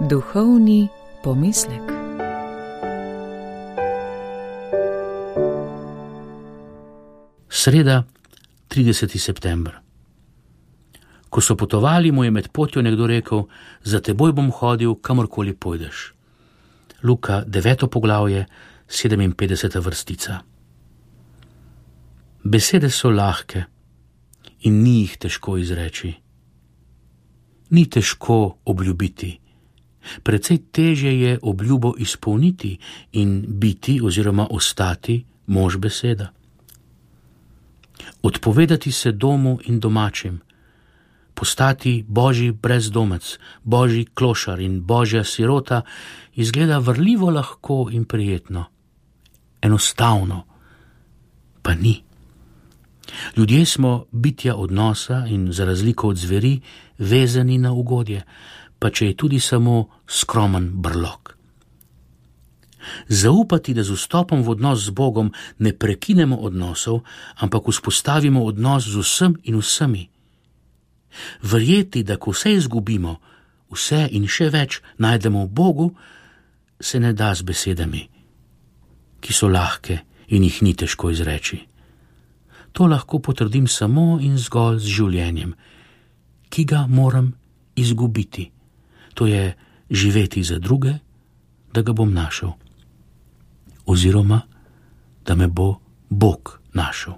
Duhovni pomislek. Sreda, 30. september. Ko so potovali, mu je med potjo nekdo rekel: za teboj bom hodil, kamorkoli pojdeš. Luka, 9. poglavje, 57. vrstica. Besede so lahke in ni jih težko izreči. Ni težko obljubiti. Precej težje je obljubo izpolniti in biti oziroma ostati mož beseda. Odpovedati se domu in domačim, postati božji brezdomec, božji klošar in božja sirota izgleda vrljivo lahko in prijetno. Enostavno pa ni. Ljudje smo bitja odnosa in za razliko od zveri vezani na ugodje, pa če je tudi samo skromen brlog. Zaupati, da z vstopom v odnos z Bogom ne prekinemo odnosov, ampak vzpostavimo odnos z vsem in vsemi. Verjeti, da ko vse izgubimo, vse in še več najdemo v Bogu, se ne da z besedami, ki so lahke in jih ni težko izreči. To lahko potrdim samo in zgolj z življenjem, ki ga moram izgubiti. To je živeti za druge, da ga bom našel. Oziroma, da me bo Bog našel.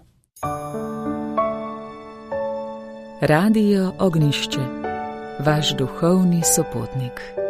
Radio Ognjišče, vaš duhovni sopotnik.